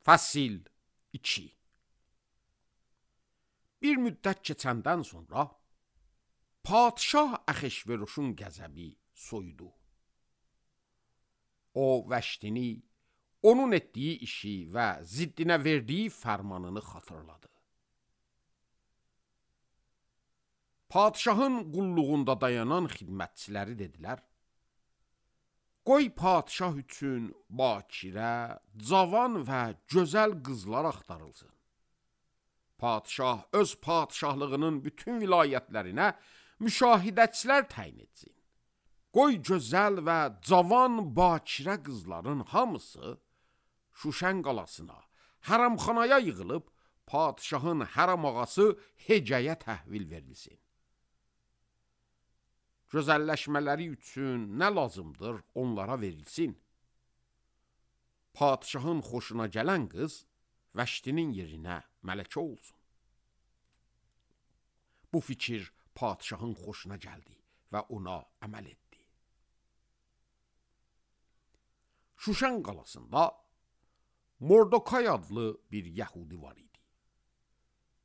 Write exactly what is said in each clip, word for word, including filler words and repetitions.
Fəsil iki. Bir müddət keçəndən sonra padşah Ahasveruşun qəzəbi soyudu. O Vəştini, onun etdiyi işi və ziddinə verdiyi fərmanını xatırladı. Padşahın qulluğunda dayanan xidmətçiləri dedilər: qoy padşah üçün bakirə, cavan və gözəl qızlar axtarılsın. Padşah öz padşahlığının bütün vilayətlərinə müşahidəçilər təyin etsin. Qoy gözəl və cavan bakirə qızların hamısı Şuşən qalasına, hərəmxanaya yığılıb padşahın hərəm ağası Hecəyə təhvil verilsin. Gözəlləşmələri üçün nə lazımdır onlara verilsin. Padşahın xoşuna gələn qız Vəştinin yerinə mələkə olsun. Bu fikir padşahın xoşuna gəldi və ona əməl etdi. Şuşən qalasında Mordokay adlı bir yəhudi var idi.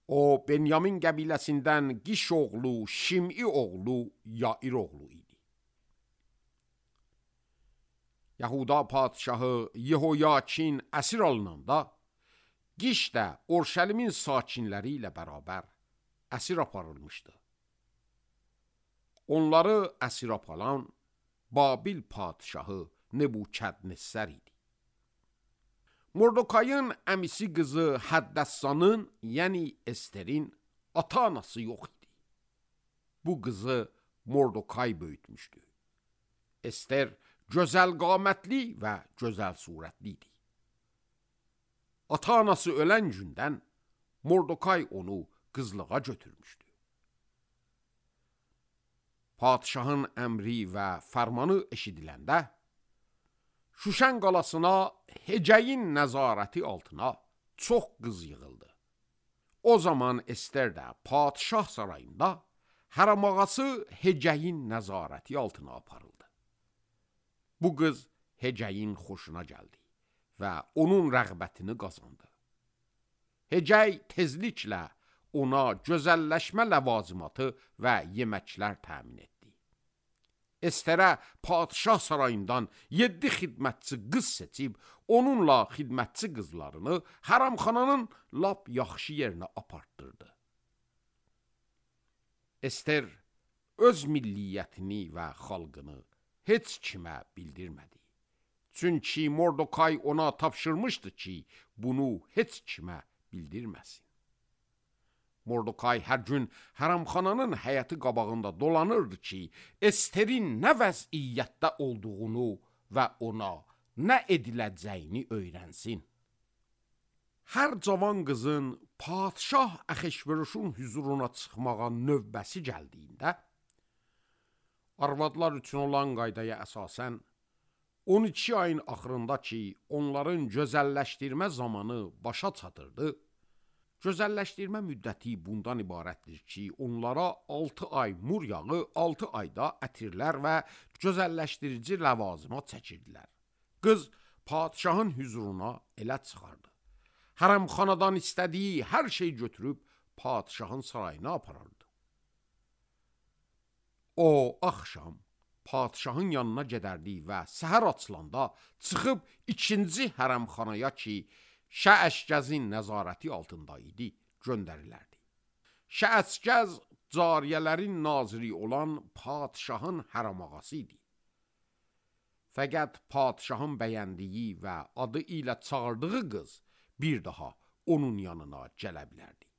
O, Benyamin qəbiləsindən Qiş oğlu, Şim'i oğlu, Yair oğlu idi. Yahuda padşahı Yehoyakin əsir alınanda, Qiş də Orşəlimin sakinləri ilə bərabər əsir aparılmışdı. Onları əsir aparan Babil padşahı Nebukadnessar idi. Mordokayın əmisi qızı Həddəssanın, yəni Esterin ata-anası yox idi. Bu qızı Mordokay böyütmüşdü. Ester gözəl qamətli və gözəl surətli idi. Ata-anası ölən gündən Mordokay onu qızlığa götürmüşdü. Padşahın əmri və fərmanı eşidiləndə Şuşən qalasına Hecəyin nəzarəti altına çox qız yığıldı. O zaman Ester də padşah sarayında hərəm ağası Hecəyin nəzarəti altına aparıldı. Bu qız Hecəyin xoşuna gəldi və onun rəğbətini qazandı. Hecəy tezliklə ona gözəlləşmə ləvazimatı və yeməklər təmin etdi. Esterə padşah sarayından yeddi xidmətçi qız seçib, onunla xidmətçi qızlarını hərəmxananın lap yaxşı yerinə apartdırdı. Ester öz milliyyətini və xalqını heç kimə bildirmədi. Çünki Mordokay ona tapşırmışdı ki, bunu heç kimə bildirməsin. Mordokay hər gün hərəmxananın həyəti qabağında dolanırdı ki, Esterin nə vəziyyətdə olduğunu və ona nə ediləcəyini öyrənsin. Hər cavan qızın padşah Ahasveruşun hüzuruna çıxmağa növbəsi gəldiyində, arvadlar üçün olan qaydaya əsasən, on iki ayın axırında ki, onların gözəlləşdirmə zamanı başa çatırdı, gözəlləşdirmə müddəti bundan ibarətdir ki, onlara altı ay mur yağı, altı ayda ətirlər və gözəlləşdirici ləvazimat çəkirdilər. Qız padşahın hüzuruna elə çıxardı. Hərəmxanadan istədiyi hər şey götürüb padşahın sarayına aparardı. O, axşam padşahın yanına gedərdi və səhər açılanda çıxıb ikinci hərəmxanaya ki, Şəəşgəzin nəzarəti altında idi, göndərilərdi. Şəəşgəz cariyələrin naziri olan padşahın hərəm ağası idi. Fəqət padşahın bəyəndiyi və adı ilə çağırdığı qız bir daha onun yanına gələ bilərdi.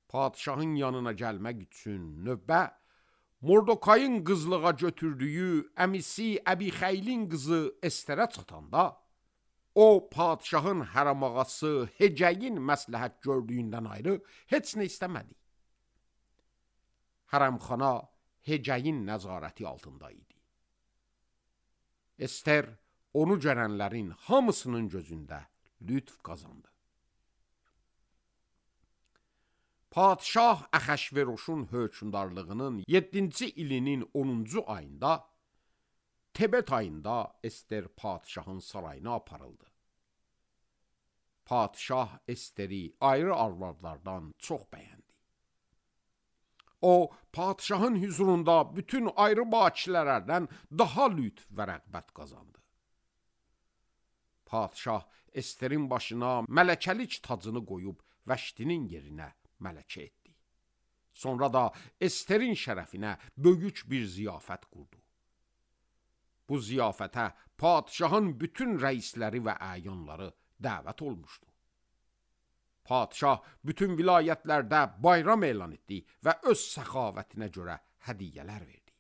Padşahın yanına gəlmək üçün növbə Mordokayın qızlığa götürdüyü əmisi Əbixəylin qızı Esterə çatanda, o, padşahın hərəm ağası Hecəyin məsləhət gördüyündən ayrı heç nə istəmədi. Hərəmxana Hecəyin nəzarəti altında idi. Ester onu görənlərin hamısının gözündə lütf qazandı. Padşah Ahasveruşun hökmdarlığının yeddinci ilinin onuncu ayında Tebet ayında Ester padişahın sarayına aparıldı. Padişah Esteri ayrı arvadlardan çox bəyəndi. O, padişahın huzurunda bütün ayrı bakirələrdən daha lütf və rəğbət qazandı. Padişah Esterin başına mələkəlik tacını qoyub Vəşdinin yerinə mələkə etdi. Sonra da Esterin şərəfinə böyük bir ziyafət qurdu. Bu ziyafətə padişahın bütün rəisləri və əyanları dəvət olmuşdu. Padişah bütün vilayətlərdə bayram elan etdi və öz səxavətinə görə hədiyyələr verdi.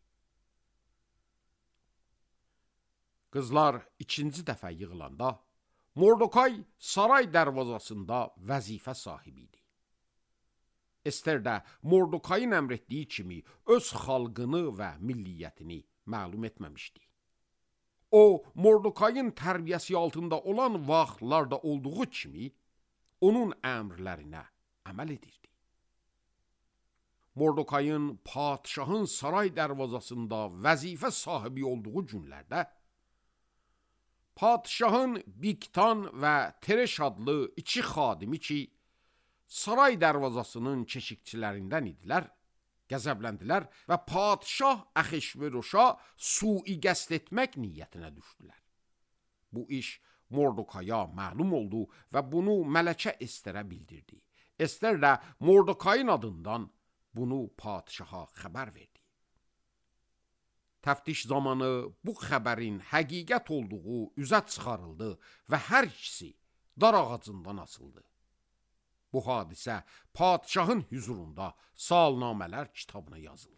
Qızlar ikinci dəfə yığılanda Mordokay saray dərvazasında vəzifə sahibi idi. Ester də Mordokayın əmr etdiyi kimi öz xalqını və milliyyətini məlum etməmişdi. O, Mordokayın tərbiyəsi altında olan vaxtlarda olduğu kimi onun əmrlərinə əməl edirdi. Mordokayın padişahın saray dərvazasında vəzifə sahibi olduğu günlərdə padişahın Biktan və Tereş adlı iki xadimi ki, saray dərvazasının keşikçilərindən idilər, qəzəbləndilər və padişah Əxeşveroşa sui qəsd etmək niyyətinə düşdülər. Bu iş Mordokaya məlum oldu və bunu mələkə Esterə bildirdi. Ester də Mordokayın adından bunu padişaha xəbər verdi. Təftiş zamanı bu xəbərin həqiqət olduğu üzə çıxarıldı və hər ikisi dar ağacından asıldı. Bu hadisə padişahın huzurunda salnamələr kitabına yazıldı.